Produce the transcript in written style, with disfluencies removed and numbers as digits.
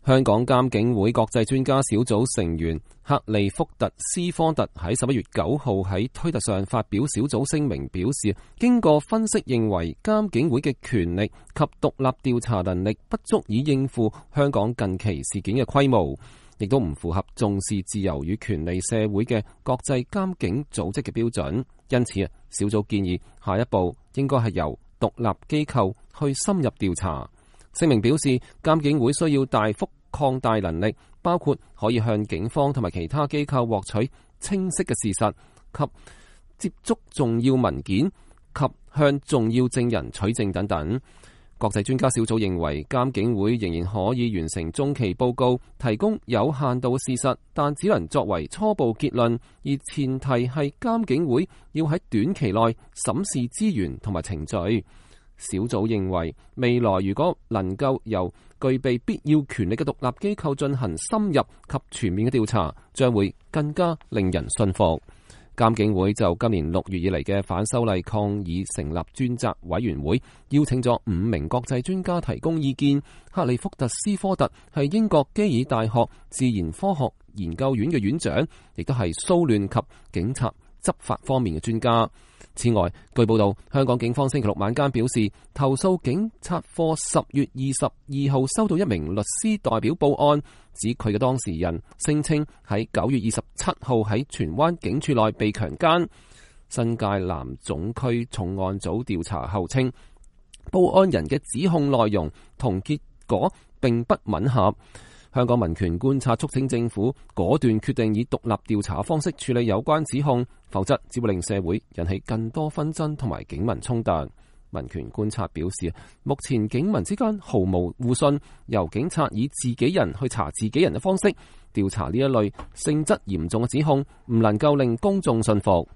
香港監警會國際專家小組成員克利福特斯科特喺11月9號喺推特上發表小組聲明，表示經過分析認為監警會嘅權力及獨立調查能力不足以應付香港近期事件嘅規模，亦都唔符合重視自由與權利社會嘅國際監警組織嘅標準。因此小組建議下一步應該係由獨立機構去深入調查。聲明表示，監警會需要大幅擴大能力，包括可以向警方同埋其他機構獲取清晰嘅事實及接觸重要文件及向重要證人取證等等。國際專家小組認為，監警會仍然可以完成中期報告，提供有限度嘅事實，但只能作為初步結論，而前提係監警會要喺短期內審視資源同埋程序。小組認為，未來如果能夠由具備必要權力嘅獨立機構進行深入及全面嘅調查，將會更加令人信服。監警會就今年6月以嚟嘅反修例抗議成立專責委員會，邀請咗5名國際專家提供意見。克利福特斯科特係英國基爾大學自然科學研究院嘅院長，亦都係騷亂及警察執法方面嘅專家。此外，據報道，香港警方星期六晚間表示，投訴警察課10月22號收到一名律師代表報案，指佢嘅當事人聲稱喺9月27號喺荃灣警署內被強姦。新界南總區重案組調查後稱，報案人嘅指控內容同結果並不吻合。香港民權觀察促請政府果斷決定以獨立調查方式處理有關指控，否則只會令社會引起更多紛爭同埋警民衝突。民權觀察表示，目前警民之間毫無互信，由警察以自己人去查自己人嘅方式調查呢一類性質嚴重嘅指控，唔能夠令公眾信服。